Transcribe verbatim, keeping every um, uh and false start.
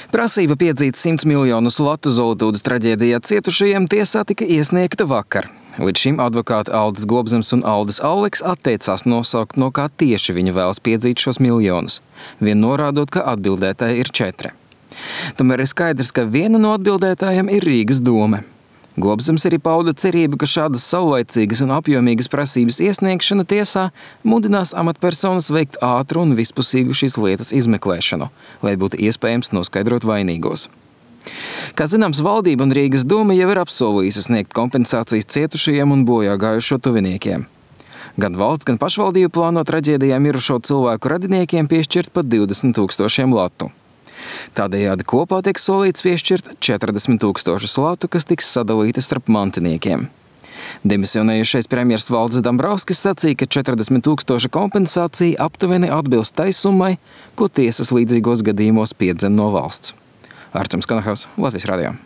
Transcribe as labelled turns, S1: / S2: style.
S1: Prasība piedzīt simts miljonus latu Zolitūdas traģēdijā cietušajiem tiesā tika iesniegta vakar. Līdz šim advokāti Aldis Gobzems un Aldis Alleks atteicās nosaukt, no kā tieši viņi vēlas piedzīt šos miljonus, vien norādot, ka atbildētāji ir četri. Tomēr ir skaidrs, ka viena no atbildētājiem ir Rīgas dome. Gobzems arī pauda cerību, ka šādas saulaicīgas un apjomīgas prasības iesniegšana tiesā mudinās amatpersonas veikt ātru un vispusīgu šīs lietas izmeklēšanu, lai būtu iespējams noskaidrot vainīgos. Kā zināms, valdība un Rīgas doma jau ir apsolījusi sniegt kompensācijas cietušajiem un bojā gājušo tuviniekiem. Gan valsts, gan pašvaldība plāno traģēdijā mirušo cilvēku radiniekiem piešķirt pat divdesmit tūkstošiem latu. Tādējādi kopā tiek solīts piešķirt četrdesmit tūkstošus latu, kas tiks sadalīti starp mantiniekiem. Demisionējušais premjers Valdis Dambrauskas sacīja, ka četrdesmit tūkstoša kompensācija aptuveni atbilst tai summai, ko tiesas līdzīgos gadījumos piedzen no valsts. Arčuns Kanahavs, Latvijas radio.